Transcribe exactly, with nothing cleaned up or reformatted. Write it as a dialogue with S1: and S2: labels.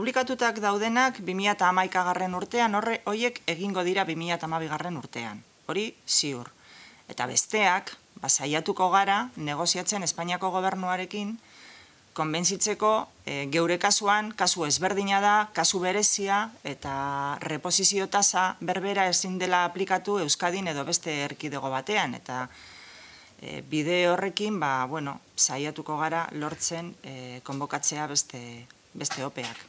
S1: publikatutak daudenak bi mila hamaikagarren urtean, horre hoiek egingo dira bi mila hamabigarren urtean. Hori ziur. Eta besteak, saiatuko gara negoziatzen Espainiako gobernuarekin konbentzitzeko e, geure kasuan, kasu ezberdina da, kasu berezia eta reposizio tasa berbera ezin dela aplikatu Euskadin edo beste erkidego batean. Eta e, bide horrekin, ba, bueno, saiatuko gara lortzen e, konbokatzea beste, beste opeak.